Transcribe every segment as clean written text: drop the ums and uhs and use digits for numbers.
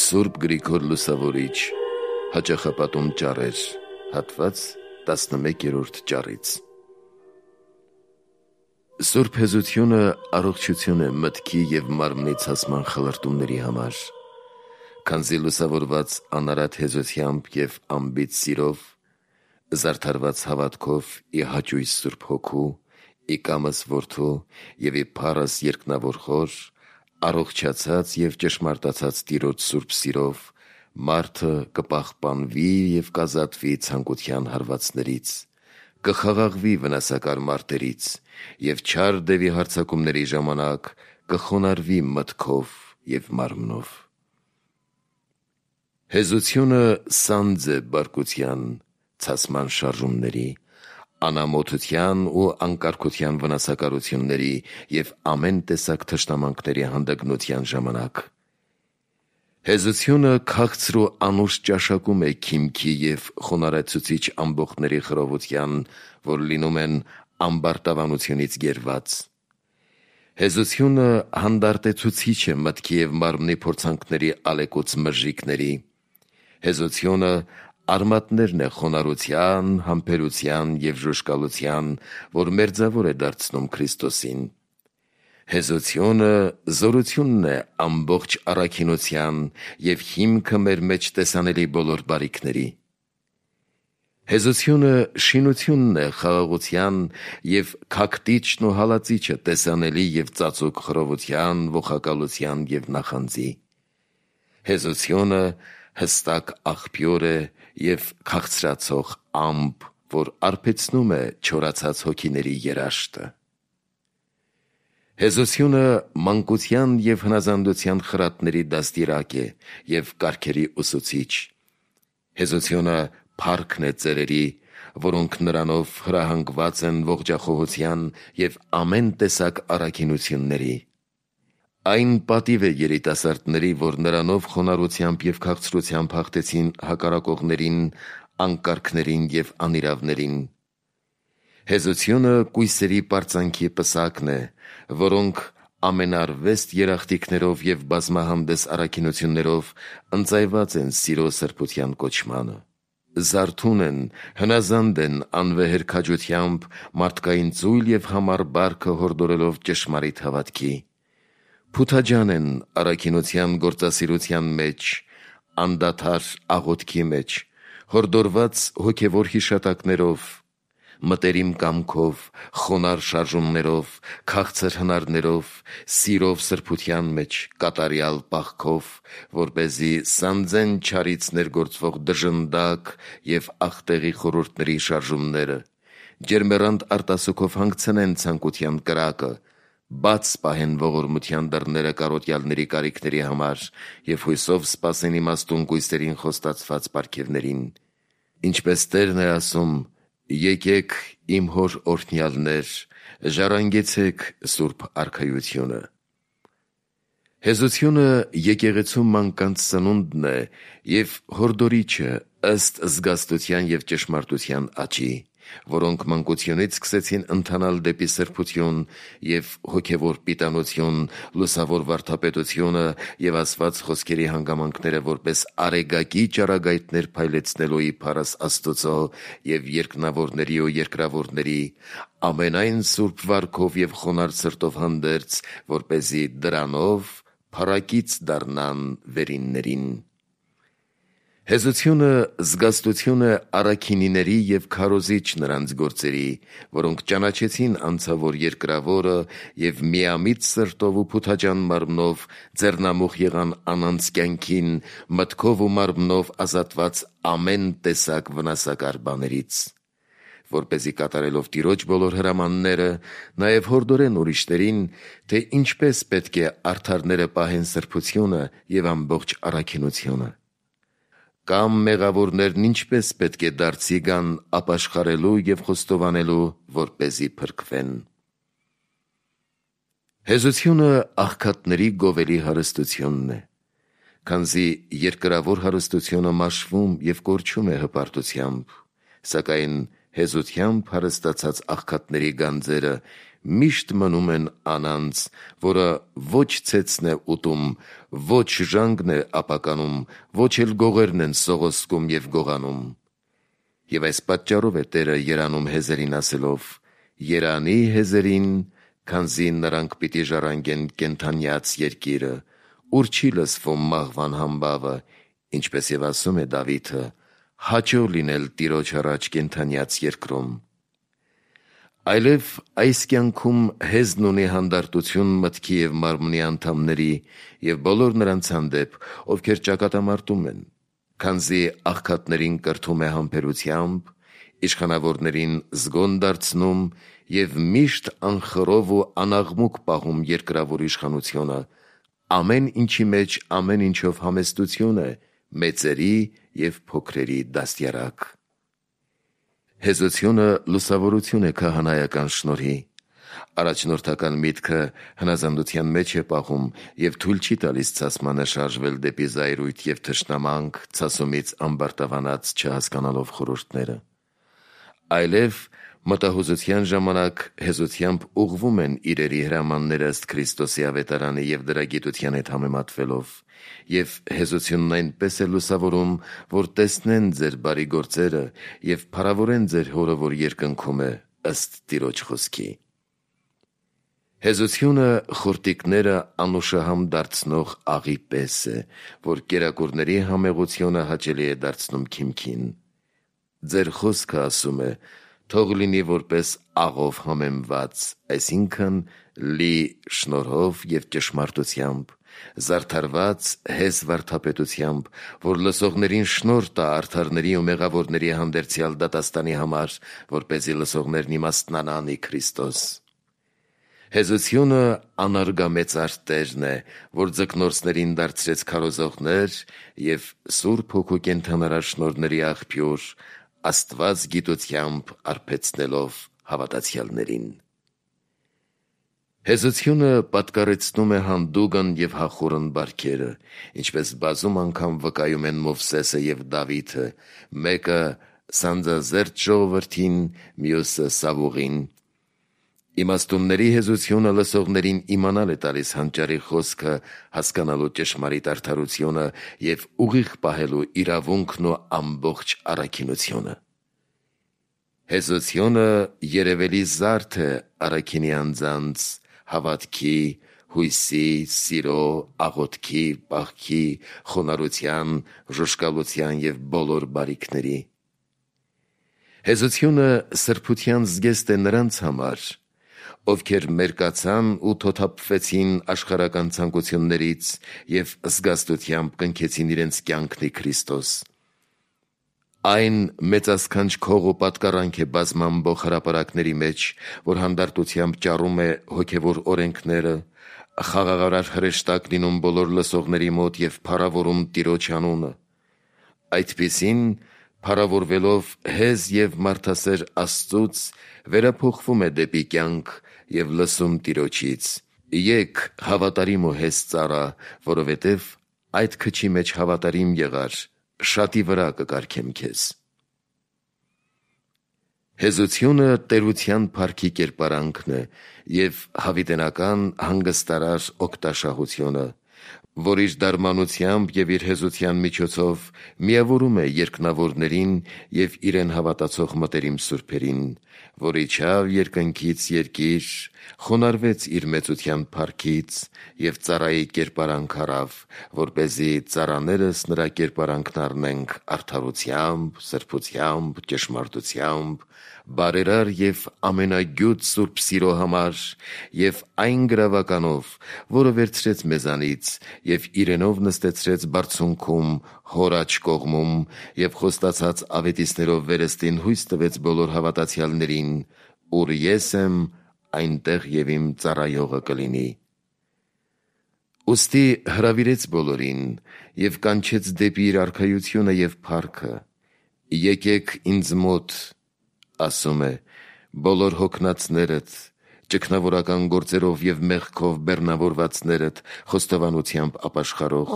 Սուրբ Գրիգոր Լուսավորիչ, հաճախապատում ճառեր, հատված 11-րդ ճառից։ Սուրբ հեզությունը առողջություն է մտքի և մարմնի ցասման խլրտումների համար, քանզի լուսավորված անարատ հեզությամբ և անբիծ սիրով, զարդարված հավատքով ի հաճույս Սուրբ Հոգու, ի կամս Որդու և ի փառս երկնավոր Խոր, առողջացած և ճշմարտացած Տիրոջ սուրբ սիրով, մարդը կպահպանվի և կազատվի ցանկության հարվածներից, կխաղաղվի վնասակար մարտերից և չար դևի հարձակումների ժամանակ կխոնարհվի մտքով և մարմնով։ Հեզությունը սանձ է բարկության, ցասման շարժումների, անամոթության ու անկարգության վնասակարությունների և ամեն տեսակ թշնամանքների հանդգնության ժամանակ։ Հեզությունը քաղցր ու անուշ ճաշակում է քիմքի և խոնարհեցուցիչ ամբոխների խռովության, որ լինում են ամբարտավանությունից գերված։ Հեզությունը հանդարտեցուցիչ է մտքի և մարմնի փորձանքների ալեկոծ մրրիկների։ Հեզությունը արմատներն է խոնարհության, համբերության և ժուժկալության, որ մերձավոր է դարձնում Քրիստոսին։ Հեզությունը զորությունն է ամբողջ առաքինության և հիմքը մեր մեջ տեսանելի բոլոր բարիքների։ Հեզությունը շինությունն է խաղաղության և քաքտիչն ու հալածիչը տեսանելի և ծածուկ խռովության, ողակալության և նախանձի։ Հեզությունը հստակ աղբյուր է և քաղցրացող ամպ, որ արբեցնում է չորացած հոգիների երաշտը։ Հեզությունը մանկության և հնազանդության խրատների դաստիրակ է և կարգերի ուսուցիչ։ Հեզությունը փառքն է ծերերի, որոնք նրանով հրահանգված են ողջախոհության և ամեն տեսակ առաքինությունների։ Այն պատիվ է երիտասարդների, որ նրանով խոնարհությամբ և քաղցրությամբ հաղթեցին հակառակողներին, անկարգներին և անիրավներին։ Հեզությունը կույսերի պարծանքի պսակն է, որոնք ամենարվեստ երախտիկներով և բազմահանդես առաքինություններով ընծայված են սիրո սրբության կոչմանը։ Զարթուն են, հնազանդ են անվեհեր քաջությամբ, մարդկային ծույլ և համառ բարքը հորդորելով ճշմարիտ հավատքի։ Փութաջան են առաքինության գործասիրության մեջ, անդադար աղոթքի մեջ, հորդորված հոգևոր հիշատակներով, մտերիմ կամքով, խոնարհ շարժումներով, քաղցր հնարներով, սիրով սրբության մեջ, կատարյալ պաղքով, որպեսզի սանձեն չարից ներգործվող դժնդակ և աղտեղի խորհուրդների շարժումները, ջերմեռանդ արտասուքով հանգցնեն ցանկության կրակը, բաց պահեն ողորմության դռները կարոտյալների կարիքների համար և հույսով սպասեն իմաստուն կույսերին խոստացված պարգևներին։ Ինչպես Տերն է ասում. «Եկեք իմ հոր օրհնյալներ, ժառանգեցեք Սուրբ Արքայությունը»։ Հեզությունը եկեղեցու մանկանց սնունդն է և հորդորիչը ըստ զգաստության և ճշմարտության աճի, որոնք մանկությունից սկսեցին ընթանալ դեպի սրբություն և հոգևոր պիտանություն, լուսավոր վարդապետությունը և ասված խոսքերի հանգամանքները որպես արեգակի ճառագայթներ փայլեցնելու ի փառս Աստուծո և երկնավորների ու երկրավորների, ամենայն սուրբ վարքով և խոնարհ սրտով հանդերձ, որպեսզի դրանով փառակից դառնան վերիններին։ Հեզությունը զգաստություն է առաքինիների և քարոզիչ նրանց գործերի, որոնք ճանաչեցին անցավոր երկրավորը և միամիտ սրտով ու փութաջան մարմնով ձեռնամուխ եղան անանց կյանքին, մտքով ու մարմնով ազատված ամեն տեսակ վնասակար բաներից, որպեսզի կատարելով Տիրոջ բոլոր հրամանները, նաև հորդորեն ուրիշներին, թե ինչպես պետք է արդարները պահեն սրբությունը և ամբողջ առաքինությունը, կամ մեղավորներն ինչպես պետք է դարձի գան ապաշխարելու և խոստովանելու, որպեսզի փրկվեն։ Հեզությունը աղքատների գովելի հարստությունն է, քանզի երկրավոր հարստությունը մաշվում և կորչում է հպարտությամբ, սակայն հեզությամբ հարստացած աղքատների գանձերը միշտ մնում են անանց, որը ոչ ցեցն է ուտում, ոչ ժանգն է ապականում, ոչ էլ գողերն են սողոսկում և գողանում։ Եվ այս պատճառով է Տերը երանում հեզերին ասելով. «Երանի հեզերին, քանզի նրանք պիտի ժառանգեն կենդանյաց երկիրը, ուր չի լսվում մահվան համբավը, ինչպես և ասում է Դավիթը. հաճո լինել Տիրոջ առաջ կենդանյաց երկրում»։ Այլև այս կյանքում հեզն ունի հանդարտություն մտքի և մարմնի անդամների և բոլոր նրանց հանդեպ, ովքեր ճակատամարտում են, քանզի աղքատներին կրթում է համբերությամբ, իշխանավորներին զգոն դարձնում և միշտ անխռով ու անաղմուկ պահում երկրավոր իշխանությունը, ամեն ինչի մեջ ամեն ինչով համեստություն է, մեծերի և փոքրերի դաստիարակ։ Հեզությունը լուսավորություն է քահանայական շնորհի։ Առաջնորդական միտքը հնազանդության մեջ է պահում և թույլ չի տալիս ցասմանը շարժվել դեպի զայրույթ և թշնամանք, ցասումից ամբարտավանած չհասկանալով խորհուրդները։ Այլև մտահուզության ժամանակ հեզությամբ ուղղվում են իրերի հրամանները ըստ Քրիստոսի ավետարանի և դրա գիտության հետ համեմատվելով, և հեզությունն այնպես է լուսավորում, որ տեսնեն ձեր բարի գործերը և փառավորեն ձեր Հորը, որ երկնքում է, ըստ Տիրոջ խոսքի։ Հեզությունը խորտիկները անուշահամ դարձնող աղի պես է, որ կերակուրների համեղությունը հաճելի է դարձնում քիմքին։ Ձեր խոսքը, ասում է, թող լինի որպես աղով համեմված, այսինքն լի շնորհով և ճշմարտությամբ, զարդարված հեզ վարդապետությամբ, որ լսողներին շնորհ տա արդարների ու մեղավորների հանդերձյալ դատաստանի համար, որպեսզի լսողներն իմաստնանան ի Քրիստոս։ Հեզությունը անարգամեծար Տերն է, որ ձկնորսներին դարձրեց քարոզողներ և Սուրբ Հոգու կենդանարար շնորհների աղբյուր, Աստված գիտությամբ արբեցնելով հավատացյալներին։ Հեզությունը պատկառեցնում է հանդուգն և հախուռն բարքերը, ինչպես բազում անգամ վկայում են Մովսեսը և Դավիթը, մեկը սանձազերծ ժողովրդին, մյուսը Սավուղին։ Իմաստունների հեզությունը լսողներին իմանալ է տալիս հանճարի խոսքը հասկանալու ճշմարիտ արդարությունը և ուղիղ պահելու իրավունքն ու ամբողջ առաքինությունը։ Հեզությունը երևելի զարդ է առաքինի անձանց հավատքի, հույսի, սիրո, աղոթքի, պահքի, խոնարհության, ժուժկալության և բոլոր բարիքների։ Հեզությունը սրբության զգեստ է նրանց համար, ովքեր մերկացան ու թոթափվեցին աշխարհական ցանկություններից և զգաստությամբ կնքեցին իրենց կյանքն ի Քրիստոս։ Այն մեծասքանչ քող ու պատկառանք է բազմամբող հրապարակների մեջ, որ հանդարտությամբ ճառում է հոգևոր օրենքները, խաղաղարար հրեշտակ լինում բոլոր լսողների մոտ և փառավորում Տիրոջ անունը։ Այդպիսին, փառավորվելով հեզ և մարդասեր Աստծուց, վերափոխվում է դեպի կյանք և լսում Տիրոջից. «Եկ հավատարիմ ու հեզ ծառա, որովհետև այդ քչի մեջ հավատարիմ եղար, շատի վրա կկարգեմ քեզ»։ Հեզությունը տերության փառքի կերպարանքն է և հավիտենական հանգստարար օգտաշահությունը, որ իր դարմանությամբ և իր հեզության միջոցով միավորում է երկնավորներին և իրեն հավատացող մտերիմ սուրբերին, որ իջավ երկնքից երկիր, խոնարհվեց իր մեծության փառքից և ծառայի կերպարանք առավ, որպեսզի ծառաներս նրա կերպարանքն առնենք արդարությամբ, սրբությամբ, ճշմարտությամբ, բարերար և ամենագյուտ սուրբ սիրո համար և այն գրավականով, որը վերցրեց մեզանից և իրենով նստեցրեց բարձունքում Հոր աջ կողմում և խոստացած ավետիցներով վերստին հույս տվեց բոլոր հավատացյալներին, ուր ես եմ, այնտեղ և իմ ծառայողը կլինի։ Ուստի հրավիրեց բոլորին և կանչեց դեպի իր արքայությունը և փառքը. «Եկեք ինձ մոտ, ասում է, բոլոր հոգնածներդ, ճգնավորական գործերով և մեղքով բեռնավորվածներդ, խոստովանությամբ ապաշխարող,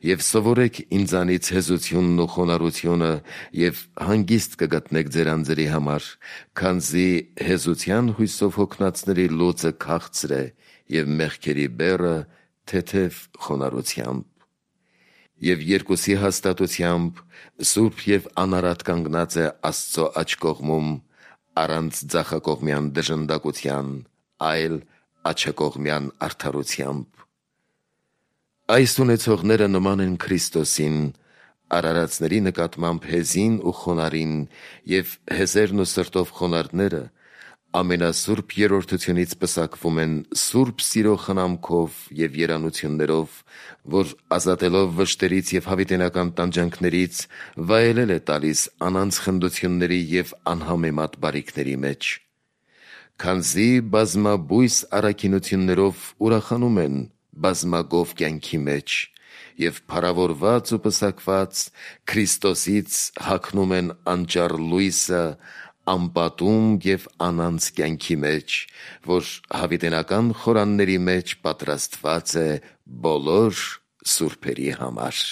Եվ սովորեք ինձանից հեզությունն ու խոնարհությունը, և հանգիստ կգտնեք ձեր անձերի համար, քանզի հեզության հույսով հոգնածների լուծը քաղցր է, և մեղքերի բեռը թեթև խոնարհությամբ։ Եվ երկուսի հաստատությամբ սուրբ և անարատ կանգնած է Աստծո աջ կողմում, առանց ձախակողմյան դժնդակության, այլ աջակողմյան արդարությամբ։ Այս ունեցողները նման են Քրիստոսին, արարածների նկատմամբ հեզին ու խոնարհին, և հեզերն ու սրտով խոնարհները ամենասուրբ երրորդությունից պսակվում են սուրբ սիրո խնամքով և երանություններով, որ ազատելով վշտերից և հավիտենական տանջանքներից վայելել է տալիս անանց խնդությունների և անհամեմատ բարիքների մեջ։ Քանզի բազմաբույս առաքինություններով ուրախանում են բազմագով կյանքի մեջ, և փառավորված ու պսակված Քրիստոսից հագնում են անճառ լույսը անպատում և անանց կյանքի մեջ, որ հավիտենական խորանների մեջ պատրաստված է բոլոր սուրբերի համար։